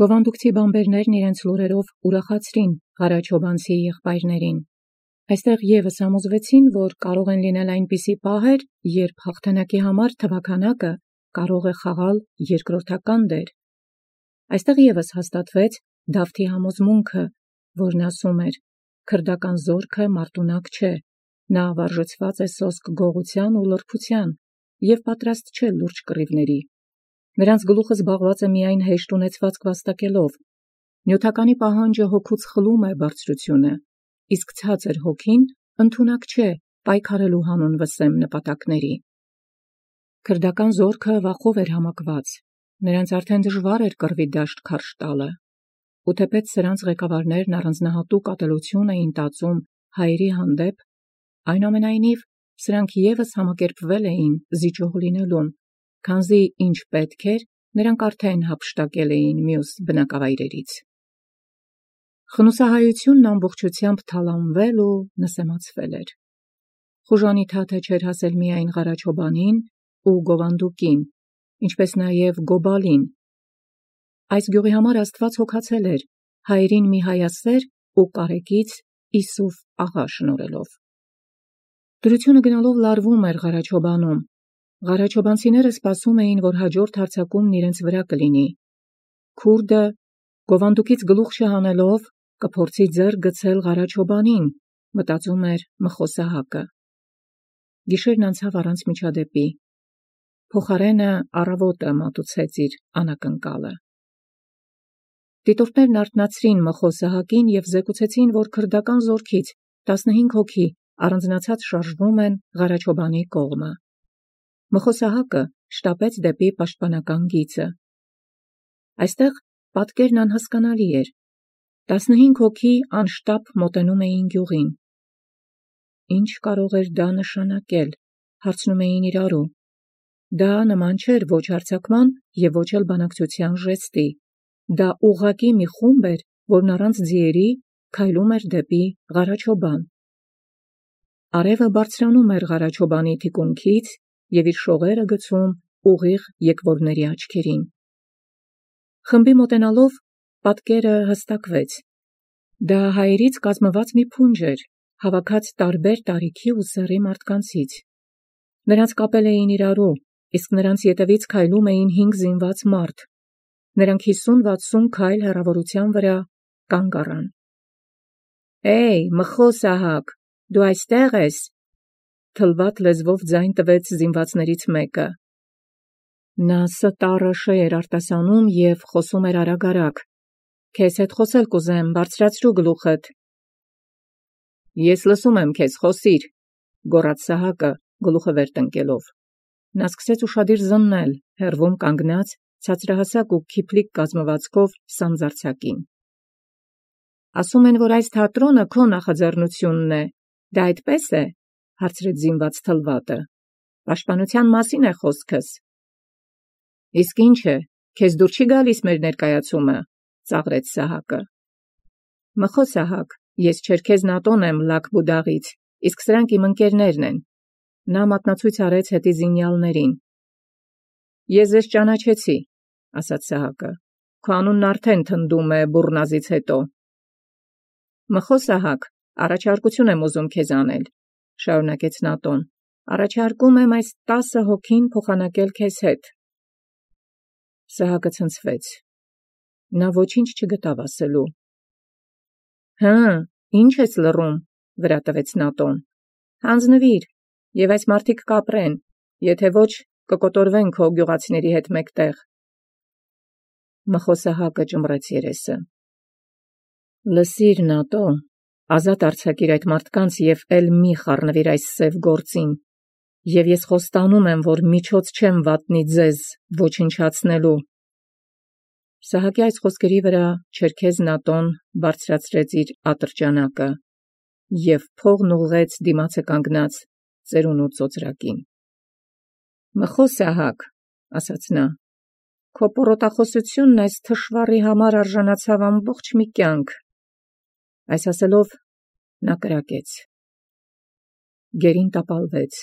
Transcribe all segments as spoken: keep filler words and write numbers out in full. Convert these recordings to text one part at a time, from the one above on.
Գովանդուկցի բամբերներն իրենց լուրերով ուրախացրին Ղարաչոբանցի եղբայրներին։ Այստեղ ևս համոզվեցին, որ կարող են լինել այնպիսի պահեր, երբ հաղթանակի համար թվաքանակը կարող է խաղալ երկրորդական դեր։ Այստեղ ևս հաստատվեց Դավթի համոզմունքը, որն ասում էր. «Քրդական զորքը մարտունակ չէ, նա վարժեցված է սոսկ գողության ու լրբության և պատրաստ չէ լուրջ կռիվների։ Նրանց գլուխը զբաղված է միայն հեշտ ունեցվածք վաստակելով։ Նյութականի պահանջը հոգուց խլում է բարձրությունը, իսկ ցածր հոգին ընդունակ չէ պայքարելու հանուն վսեմ նպատակների»։ Քրդական զորքը վախով էր համակված, նրանց արդեն դժվար էր կռվի դաշտ քարշ տալը, ու թեպետ սրանց ղեկավարներն առանձնահատուկ ատելություն էին տածում հայերի հանդեպ, այնուամենայնիվ սրանք ևս համակերպվել էին զիջող լինելուն, քանզի ինչ պետք էր, նրանք արդեն հափշտակել էին մյուս բնակավայրերից։ Խնուսահայությունն ամբողջությամբ թալանվել ու նսեմացվել էր։ Խուժանիթաթը չէր հասել միայն Ղարաչոբանին ու Գովանդուկին, ինչպես նաև Գոբալին։ Այս գյուղի համար Աստված հոգացել էր հայերին մի հայասեր ու կարեկից Իսուֆ աղա շնորհելով։ Դրությունը գնալով լարվում էր Ղարաչոբանում։ Ղարաչոբանցիները սպասում էին, որ հաջորդ հարձակումն իրենց վրա կլինի։ Քուրդը Գովանդուկից գլուխ չհանելով կփորձի ձեռք գցել Ղարաչոբանին, մտածում էր Մխոսահակը։ Գիշերն անցավ առանց միջադեպի։ Փոխարենը առավոտը մատուցեց իր անակնկալը։ Դիտորդներն արթնացրին Մխոսահակին և զեկուցեցին, որ քրդական զորքից տասնհինգ հոգի առանձնացած շարժվում են Ղարաչոբանի կողմը։ Մխոսահակը շտապեց դեպի պաշտպանական գիծը։ Այստեղ պատկերն անհասկանալի էր։ Տասնհինգ հոգի անշտապ մոտենում էին գյուղին։ Ինչ կարող էր դա նշանակել, հարցնում էին իրարու։ Դա նման չէր ոչ հարձակման և ոչ էլ բանակցության ժեստի։ Դա ուղղակի մի խումբ էր, որն առանց ձիերի քայլում էր դեպի Ղարաչոբան։ Արևը բարձրանում էր Ղարաչոբանի թիկունքից և իր շողերը գցում ուղիղ եկվորների աչքերին։ Խմբի մոտենալով պատկերը հստակվեց։ Դա հայերից կազմված մի փունջ էր, հավաքած տարբեր տարիքի ու սեռի մարդկանցից։ Նրանց կապել էին իրարու, իսկ նրանց ետևից քայլում էին հինգ զինված մարդ։ Նրանք հիսուն-վաթսուն քայլ հեռավորության վրա կանգ առան։ «Է՛յ, Մխոսահակ, դու այստեղ ես», թլվատ լեզվով ձայն տվեց զինվածներից մեկը։ Նա ստառը շե էր արտասանում և խոսում էր արագ-արագ։ «Քեզ հետ խոսել կուզեմ, բարձրացրու գլուխդ»։ «Ես լսում եմ քեզ, խոսիր», գոռաց Սահակը, գլուխը վեր տնկելով։ Նա սկսեց ուշադիր զննել հեռվում կանգնած ցածրահասակ ու քիփլիկ կազմվածքով սանձարձակին։ «Ասում են, որ այս թատրոնը քո նախաձեռնությունն է, դա այդպե՞ս է», հարցրեց զինված թլվատը։ «Պաշտպանության մասին է խոսքս»։ «Իսկ ինչ է, քեզ դուր չի գալիս մեր ներկայացումը», ծաղրեց Սահակը։ «Մխոսահակ, ես Չերքեզ Նատոն եմ Լաք-Բուդաղից, իսկ սրանք իմ ընկերներն են»։ Նա մատնացույց արեց հետի զինյալներին։ «Ես ձեզ ճանաչեցի», ասաց Սահակը։ «Քո անունն արդեն թնդում է բուռնազից հետո»։ «Մխոսահակ, առաջարկություն եմ ուզում քեզ անել», շարունակեց Նատոն։ «Առաջարկում եմ այս տասը հոգին փոխանակել քեզ հետ»։ Սահակը ցնցվեց։ Նա ոչինչ չգտավ ասելու։ «Հը, ի՞նչ ես լռում», վրա տվեց Նատոն։ «Հանձնվիր, և այս մարդիկ կապրեն, եթե ոչ կկոտորվեն քո գյուղացիների հետ մեկտեղ»։ Մխոսահակը ճմռեց երեսը։ «Լսիր, Նատո, ազատ արձակիր այդ մարդկանց և էլ մի խառնվիր այս սև գործին, և ես խոստանում եմ, որ միջոց չեմ վատնի ձեզ ոչնչացնելու»։ Սահակի այս խոսքերի վրա Չերքեզ Նատոն բարձրացրեց իր ատրճանակը և փողն ուղղեց դիմացը կանգնած ծերունու ծոծրակին։ «Մխոսահակ, ասաց նա, քո պոռոտախոսությունն այս թշվառի համար արժանացավ ամբողջ մի կյանք»։ Այս ասելով նա կրակեց։ Գերին տապալվեց։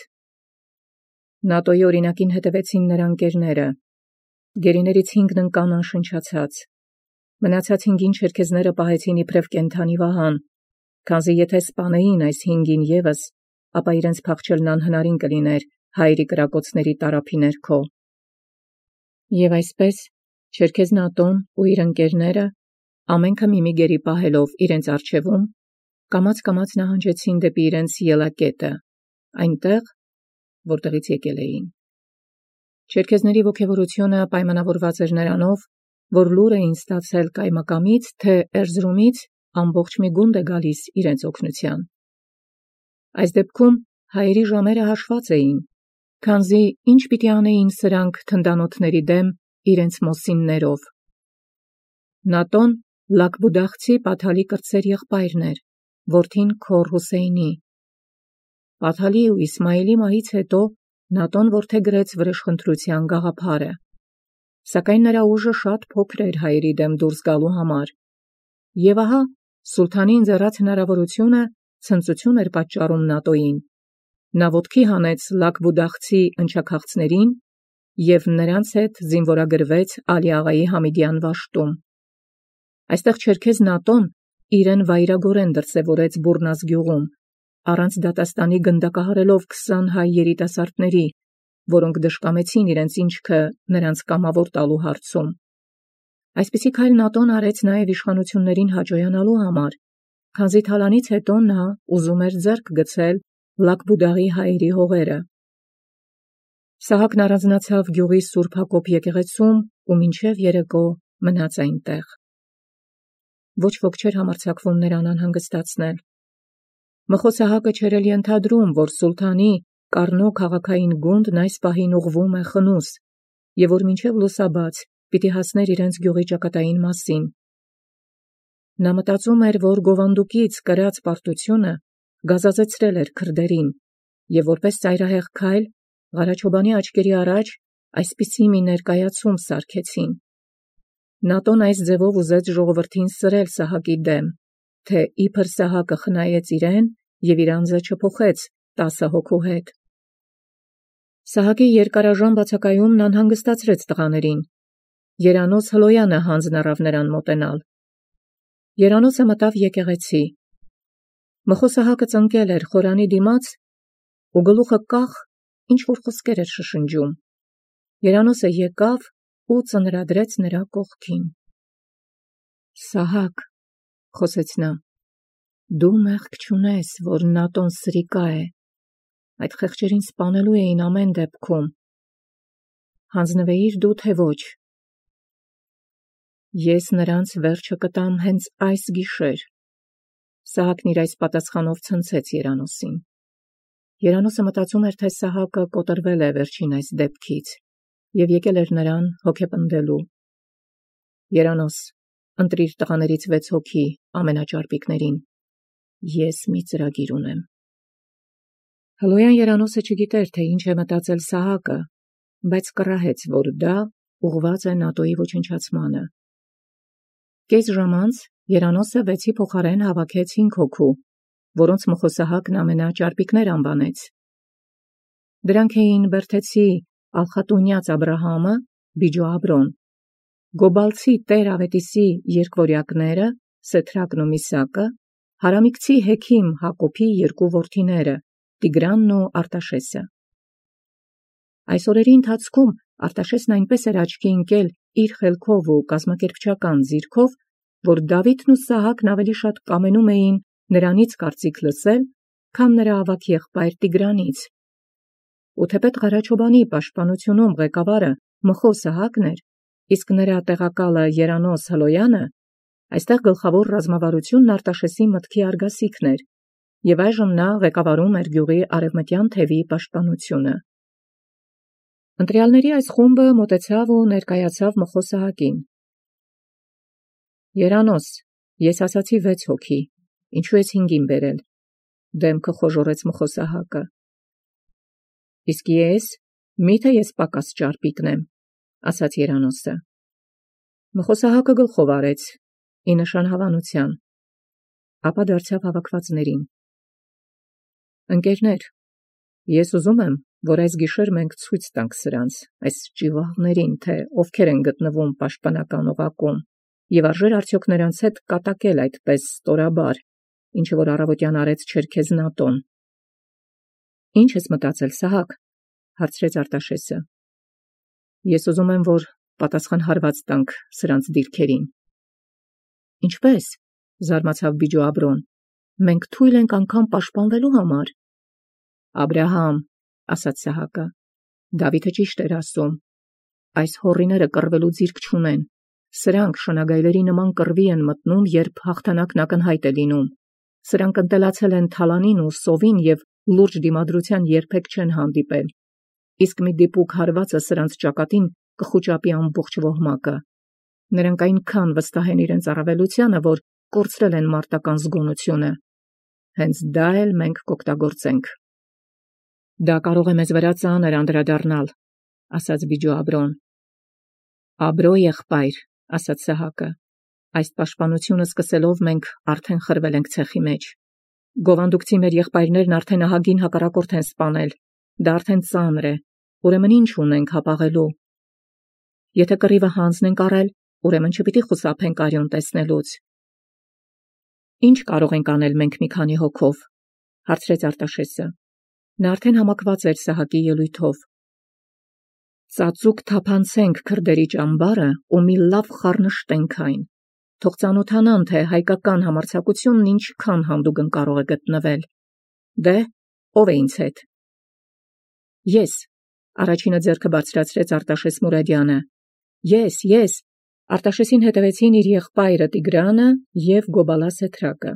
Նատոյի օրինակին հետևեցին նրա ընկերները։ Գերիներից հինգն ընկան անշնչացած։ Մնացած հինգին չերքեզները պահեցին իբրև կենդանի վահան, քանզի եթե սպանեին այս հինգին ևս, ապա իրենց փախչելն անհնարին կլիներ հայերի կրակոցների տարափի ներքո։ Եվ այսպես չերքեզն Ատոն ու իր ընկերները ամենքը միմի գերի պահելով իրենց առջևում, կամաց-կամաց նահանջեցին դեպի իրենց ելակետը, այնտեղ, որտեղից եկել էին։ Չերքեզների ոգևորությունը պայմանավորված էր նրանով, որ լուր էին ստացել կայմակամից, թե Էրզրումից ամբողջ մի գունդ է գալիս իրենց օգնության։ Այս դեպքում հայերի ժամերը հաշված էին, քանզի ինչ պիտի անեին սրանք թնդանոթների դեմ իրենց մոսիններով։ Նատոն Լակբուդաղցի Պաթալի կրտսեր եղբայրն էր, որդին քոռ Հուսեյնի։ Պաթալի ու Իսմայիլի մահից հետո Նատոն որդեգրեց վրեժխնդրության գաղափարը, սակայն նրա ուժը շատ փոքր էր հայերի դեմ դուրս գալու համար, եւ ահա սուլթանի ընձեռած հնարավորությունը ցնծություն էր պատճառում Նատոյին։ Նա ոտքի հանեց Լակբուդաղցի ընչաքաղցներին եւ նրանց հետ զինվորագրվեց Ալի աղայի Համիդյան վաշտում։ Այստեղ չերքեզ Նատոն իրեն վայրագորեն դրսևորեց Բուրնազ գյուղում, առանց դատաստանի գնդակահարելով քսան հայ երիտասարդների, որոնք դժկամեցին իրենց ինչքը նրանց կամավոր տալու հարցում։ Այսպիսի քայլ Նատոն արեց նաև իշխանություններին հաջողանալու համար, քանզի թալանից հետո նա ուզում էր ձեռք գցել Լակբուդաղի հայերի հողերը։ Սահակն առանձնացավ գյուղի Սուրբ Հակոբ եկեղեցում ու մինչև երեկո մնաց այնտեղ։ Ոչ ոք չէր համարձակվում նրան անհանգստացնել։ Մխո Սահակը չէր էլ ենթադրում, որ սուլթանի Կառնո քաղաքային գունդն այս պահին ուղղվում է խնուս, եւ որ մինչև լուսաբաց պիտի հասներ իրենց գյուղի ճակատային մասին։ Նա մտածում էր, որ գովանդուկից կրած պարտությունը գազազեցրել էր քրդերին, եւ որպես ծայրահեղ քայլ Ղարաչոբանի աչքերի առաջ այսպիսի մի ներկայացում սարքեցին։ Նատոն այս ձևով ուզեց ժողովրդին սրել Սահակի դեմ, թե իբր Սահակը խնայեց իրեն եւ իր անձը չփոխեց տասը հոգու հետ։ Սահակի երկարաժան բացակայումն անհանգստացրեց տղաներին։ Երանոս Հլոյանը հանձն առավ նրան մոտենալ։ Երանոսը մտավ եկեղեցի։ Մխո Սահակը ծնկել էր խորանի դիմաց ու գլուխը կախ ինչ-որ խոսքեր էր շշնջում։ Երանոսը եկավ ու ծնրադրեց նրա կողքին։ Սահակ, խոսեց նա, դու մեղք չունես, որ Նատոն սրիկա է։ Այդ խեղճերին սպանելու էին ամեն դեպքում։ Հանձնվեիր դու, թե ոչ։ Ես նրանց վերջը կտամ հենց այս գիշեր։ Սահակն իր այս պատասխանով ցնցեց Երանոսին։ Երանոսը մտածում էր, թե Սահակը կոտրվել է վերջին այս դեպքից եւ եկել էր նրան հոգեպնդելու։ Երանոս, ընտրիր տղաներից վեց հոգի ամենաճարպիկներին։ Ես մի ծրագիր ունեմ։ Հլոյան Երանոսը չգիտեր, թե ինչ է մտածել Սահակը, բայց կռահեց, որ դա ուղղված է Նատոյի ոչնչացմանը։ Կես ժամ անց Երանոսը վեցի փոխարեն հավաքեց հինգ հոգու, որոնց Մխո Սահակն ամենաճարպիկներ անվանեց։ Դրանք էին Բերթեցի Ալխատունյաց Աբրահամը, Բիջո Աբրոն, Գոբալցի Տեր Ավետիսի երկվորյակները, Սեթրակն ու Միսակը, Հարամիկցի Հեքիմ Հակոբի երկու որդիները, Տիգրանն ու Արտաշեսը։ Այս օրերի ընթացքում Արտաշեսն այնպես էր աչքի ընկել իր խելքով ու կազմակերպչական ձիրքով, որ Դավիթն ու Սահակն ավելի շատ կամենում էին նրանից կարծիք լսել, քան նրա ավագ եղբայր Տիգրանից։ Ու թեպետ Ղարաչոբանի պաշտպանությունում ղեկավարը Մխո Սահակն էր, իսկ նրա տեղակալը Երանոս Հլոյանը, այստեղ գլխավոր ռազմավարությունն Արտաշեսի մտքի արգասիքն էր, եւ այժմ նա ղեկավարում էր գյուղի արևմտյան թևի պաշտպանությունը։ Ընտրյալների այս խումբը մոտեցավ ու ներկայացավ Մխո Սահակին։ Երանոս, ես ասացի վեց հոգի, ինչու ես հինգին բերել, դեմքը խոժորեց Մխո Սահակը։ Իսկ ես, միթե ես պակաս ճարպիկն եմ, ասաց Երանոսը։ Մխո Սահակը գլխով արեց, ի նշան հավանության, ապա դարձավ հավաքվածներին. Ընկերներ, ես ուզում եմ, որ այս գիշեր մենք ցույց տանք սրանց, այս ճիվաղներին, թե ովքեր են գտնվում պաշտպանական օղակում, եւ արժեր արդյոք նրանց հետ կատակել այդպես ստորաբար, ինչ որ առավոտյան արեց Չերքեզնատոն։ Ինչ ես մտածել, Սահակ, հարցրեց Արտաշեսը։ Ես ուզում եմ, որ պատասխանհարված տանք սրանց դիրքերին։ Ինչպես, զարմացավ Բիջու Աբրոն, մենք թույլ ենք անգամ պաշտպանվելու համար։ Աբրահամ, ասաց Սահակը, Դավիթը ճիշտ էր ասում, այս հոռիները կռվելու ձիրք չունեն, սրանք շնագայլերի նման կռվի են մտնում, երբ հաղթանակն ակնհայտ է լինում, սրանք ընտելացել են թալանին ու սովին և լուրջ դիմադրության երբեք չեն հանդիպել, իսկ մի դիպուկ հարվածը սրանց ճակատին կխուճապի ամբողջ ոհմակը, նրանք այնքան վստահ են իրենց առավելությանը, որ կորցրել են մարտական զգոնությունը, հենց դա էլ մենք կօգտագործենք։ Դա կարող է մեզ վրա ծանր անդրադառնալ, ասաց Բիջու Աբրոն։ Աբրո եղբայր, ասաց Սահակը, այս պաշտպանությունը սկսելով մենք արդեն խրվել ենք ցեխի մեջ։ Գովանդուկցի մեր եղբայրներն արդեն ահագին հակառակորդ են սպանել, դա արդեն ծանր է, ուրեմն ինչ ունենք հապաղելու։ Եթե կռիվը հանձնենք առել, ուրեմն չպիտի խուսափենք արյուն տեսնելուց։ Ինչ կարող ենք անել մենք մի քանի հոգով, հարցրեց Արտաշեսը։ Նա արդեն համակված էր Սահակի ելույթով։ Ծածուկ թափանցենք քրդերի ճամբարը ու մի լավ խառնշտենք այն։ Թող ծանոթանան, թե հայկական համարձակությունն ինչքան հանդուգն կարող է գտնվել։ Դե, ով է ինձ հետ։ Ես, առաջինը ձեռքը բարձրացրեց Արտաշես Մուրադյանը։ Ես, ես, Արտաշեսին հետևեցին իր եղբայրը Տիգրանը և Գոբալա Սեթրակը։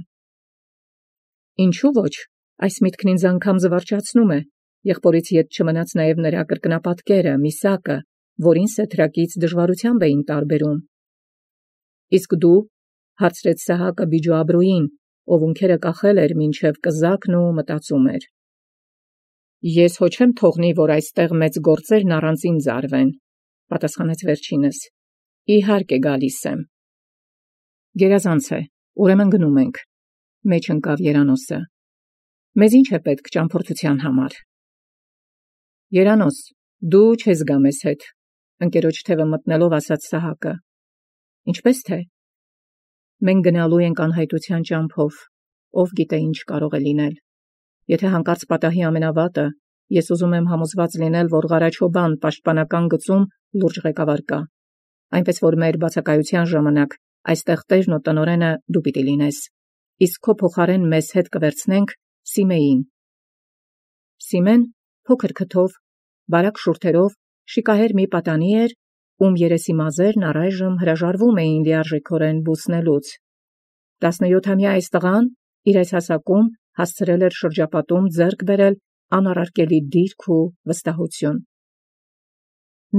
Ինչու ոչ, այս միտքն ինձ անգամ զվարճացնում է, եղբորից ետ չմնաց նաև նրա կրկնապատկերը, Միսակը, որին Սեթրակից դժվարությամբ էին տարբերում։ Իսկ դու, հարցրեց Սահակը Բիջու Աբրոյին, ով ունքերը կախել էր մինչև կզակն ու մտածում էր։ Ես հո չեմ թողնի, որ այստեղ մեծ գործերն առանց ինձ արվեն, պատասխանեց վերջինս։ Իհարկե գալիս եմ։ Գերազանց է, ուրեմն գնում ենք, մեջ ընկավ Երանոսը։ Մեզ ինչ է պետք ճամփորդության համար։ Երանոս, դու չես գա մեզ հետ, ընկերոջ թևը մտնելով ասաց Սահակը։ Ինչպես թե։ Մենք գնալու ենք անհայտության ճամփով, ով գիտե ինչ կարող է լինել։ Եթե հանկարծ պատահի ամենավատը, ես ուզում եմ համոզված լինել, որ Ղարաչոբան պաշտպանական գծում լուրջ ղեկավար կա, այնպես որ մեր բացակայության ժամանակ այստեղ տերն ու տնօրենը դու պիտի լինես, իսկ քո փոխարեն մեզ հետ կվերցնենք Սիմեին։ Սիմեն փոքր քթով, բարակ շուրթերով, շիկահեր մի պատանի էր, ում երեսի մազերն առայժմ հրաժարվում էին լիարժեքորեն բուսնելուց։ Տասնյոթամյա այս տղան իր այս հասակում հասցրել էր շրջապատում ձեռք բերել անառարկելի դիրք ու վստահություն։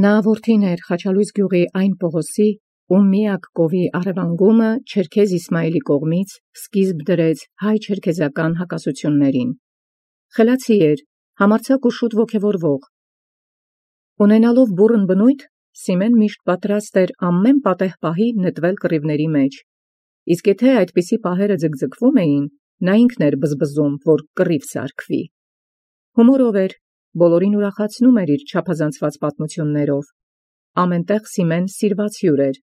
Նա որդին էր Խաչալույս գյուղի այն Պողոսի, ում միակ կովի առևանգումը Չերքեզ Իսմայելի կողմից սկիզբ դրեց հայ-չերքեզական հակասություններին։ Խելացի էր, համարձակ ու շուտ ոգևորվող։ Ունենալով բուռն բնույթ, Սիմեն միշտ պատրաստ էր ամեն պատեհ պահի նետվել կռիվների մեջ, իսկ եթե այդպիսի պահերը ձգձգվում էին, նա ինքն էր բզբզում, որ կռիվ սարքվի։ Հումորով էր, բոլորին ուրախացնում էր իր չափազանցված պատմություններով։ Ամենտեղ Սիմեն սիրված հյուր էր։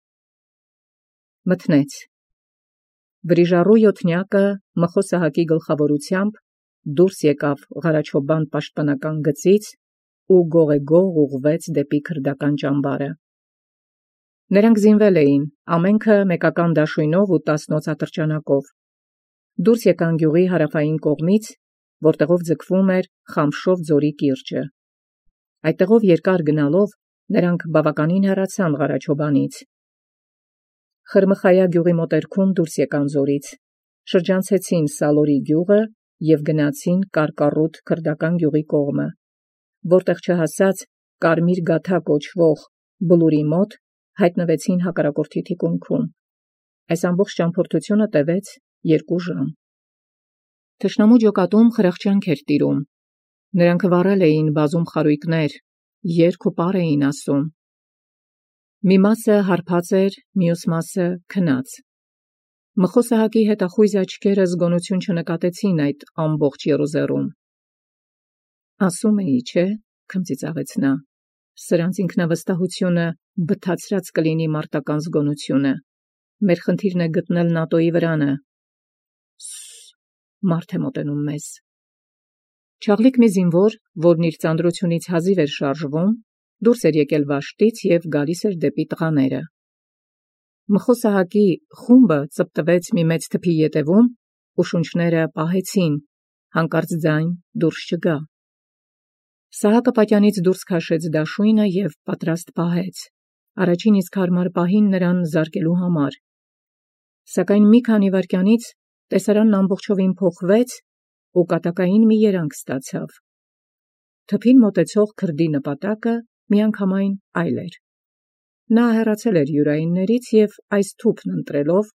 Մթնեց։ Վրիժառու յոթնյակը Մխո Սահակի գլխավորությամբ դուրս եկավ Ղարաչոբան պաշտպանական գծից ու գողեգող ուղղվեց դեպի քրդական ճամբարը։ Նրանք զինվել էին, ամենքը մեկական դաշույնով ու տասնոց ատրճանակով։ Դուրս եկան գյուղի հարավային կողմից, որտեղով ձգվում էր Խամշով ձորի կիրճը։ Այդտեղով երկար գնալով նրանք բավականին հեռացան Ղարաչոբանից։ Խրմխայա գյուղի մոտերքում դուրս եկան ձորից, շրջանցեցին Սալորի գյուղը և գնացին Կարկառուտ քրդական գյուղի կողմը, որտեղ չհասած Կարմիր գաթա կոչվող բլուրի մոտ հայտնվեցին հակառակորդի թիկունքում։ Այս ամբողջ ճամփորդությունը տևեց երկու ժամ։ Թշնամու ջոկատում խրախճանք էր տիրում։ Նրանք վառել էին բազում խարույկներ, երգ ու պար էին ասում։ Մի մասը հարբած էր, մյուս մասը քնած։ Մխո Սահակի հետախույզ աչքերը զգոնություն չնկատեցին այդ ամբողջ եռուզեռում։ Ասում էի, չէ, քմծիծաղեց նա, սրանց ինքնավստահությունը բթացրած կլինի մարտական զգոնությունը։ Մեր խնդիրն է գտնել նատոյի վրանը։ Մարդ է մոտենում մեզ։ Չաղլիկ մի զինվոր, որն իր ծանրությունից հազիվ էր շարժվում, դուրս էր եկել վաշտից և գալիս էր դեպի տղաները։ Մխո Սահակի խումբը ծպտվեց մի մեծ թփի ետևում ու շունչները պահեցին, հանկարծ ձայն դուրս չգա։ Սահակը պատյանից դուրս քաշեց դաշույնը և պատրաստ պահեց, առաջին իսկ հարմար պահին նրան զարկելու համար։ Սակայն մի քանի վայրկյանից տեսարանն ամբողջովին փոխվեց ու կատակային մի երանգ ստացավ։ Թփին մոտեցող քրդի նպատակը միանգամայն այլ էր։ Նա հեռացել էր յուրայիններից և այս թուփն ընտրելով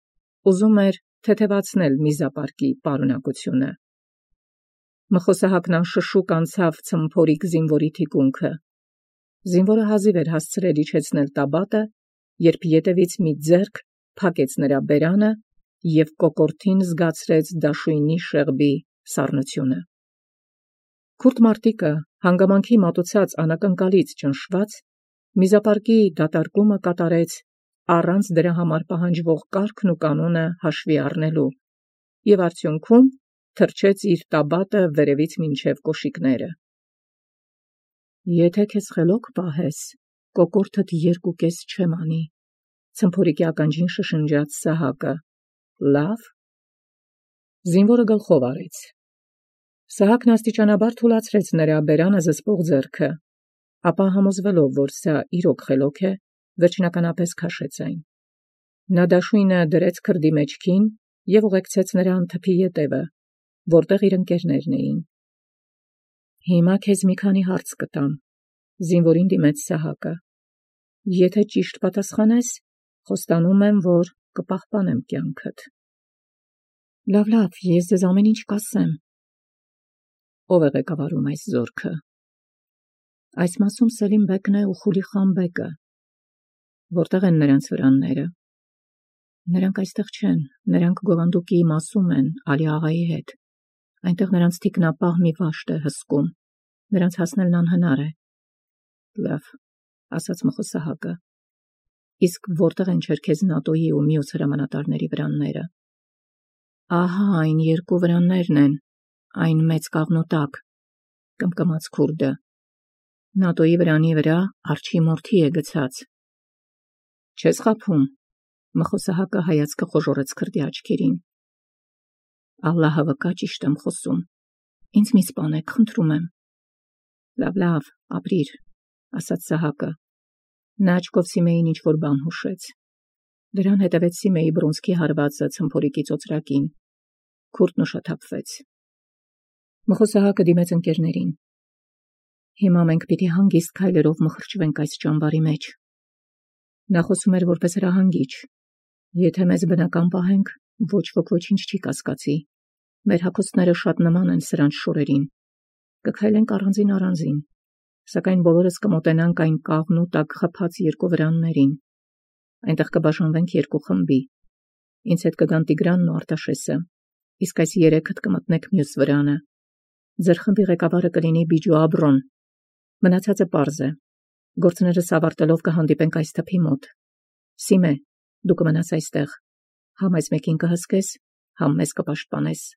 ուզում էր թեթևացնել միզապարկի պարունակությունը։ Մխո Սահակն անշշուկ անցավ ցմփորիկ զինվորի թիկունքը։ Զինվորը հազիվ էր հասցրել իջեցնել տաբատը, երբ ետևից մի ձեռք փակեց նրա բերանը և կոկորդին զգացրեց դաշույնի շեղբի սառնությունը։ Քուրդ մարտիկը հանգամանքի մատուցած անակնկալից ճնշված միզապարկի դատարկումը կատարեց առանց դրա համար պահանջվող կարգն ու կանոնը հաշվի առնելու և արդյունքում թռչեց իր տաբատը վերևից մինչև կոշիկները։ Եթե քեզ խելոք պահես, կոկորդդ երկու կես չեմ անի, ցմփորիկի ականջին շշնջաց Սահակը։ Լավ։ Զինվորը գլխով արեց։ Սահակն աստիճանաբար թուլացրեց նրա բերանը զսպող ձեռքը, ապա համոզվելով, որ սա իրոք խելոք է, վերջնականապես քաշեց այն։ Նա դաշույնը դրեց քրդի մեջքին և ուղեկցեց նրան թփի ետևը, որտեղ իր ընկերներն էին։ Հիմա քեզ մի քանի հարց կտամ, զինվորին դիմեց Սահակը։ Եթե ճիշտ պատասխանես, խոստանում եմ, որ կպահպանեմ կյանքդ։ Լավ, լավ, ես ձեզ ամեն ինչ կասեմ։ Ո՞վ է ղեկավարում այս զորքը։ Այս մասում Սելիմ բեկն է ու Խուլի խան բեկը։ Որտեղ են նրանց վրանները։ Նրանք այստեղ չեն, նրանք Գովանդուկի մասում են, Ալի աղայի հետ։ Այնտեղ նրանց թիկնապահ մի վաշտ է հսկում, նրանց հասնելն անհնար է։ Լավ, ասաց Մխո Սահակը։ Իսկ որտեղ են Չերքեզ նատոյի ու մյուս հրամանատարների վրանները։ Ահա այն երկու վրաններն են, այն մեծ կաղնու տակ, կմկմաց քուրդը։ Նատոյի վրանի վրա արջի մորթի է գցած։ Չես խաբում։ Մխո Սահակը հայացքը խոժոռեց քրդի աչքերին։ Ալլահը վկա, ճիշտ եմ խոսում։ Ինձ մի սպանեք, խնդրում եմ։ Լավ, լավ, ապրիր, ասաց Սահակը։ Նա աչքով Սիմեին ինչ-որ բան հուշեց։ Դրան հետևեց Սիմեի բռունցքի հարվածը ցմփորիկի ծոծրակին։ Քուրդն ուշաթափվեց։ Մխո Սահակը դիմեց ընկերներին։ Հիմա մենք պիտի հանգիստ քայլերով մխրճվենք այս ճամբարի մեջ։ Նա խոսում էր որպես հրահանգիչ։ Եթե մեզ բնական պահենք, ոչ ոք ոչինչ չի կասկածի։ Մեր հագուստները շատ նման են սրանց շորերին։ Կքայլենք առանձին առանձին, սակայն բոլորս կմոտենանք այն կաղնու տակ խփած երկու վրաններին։ Այնտեղ կբաժանվենք երկու խմբի։ Ինձ հետ կգան Տիգրանն ու Արտաշեսը, իսկ այս երեքդ կմտնեք մյուս վրանը։ Ձեր խմբի ղեկավարը կլինի Բիջու Աբրոն։ Մնացածը պարզ է։ Գործներս ավարտելով կհանդիպենք այս թփի մոտ։ Սիմե, դու կմնաս այստեղ։ Համ այս մեկին կհսկես, համ մեզ կպաշտպանես։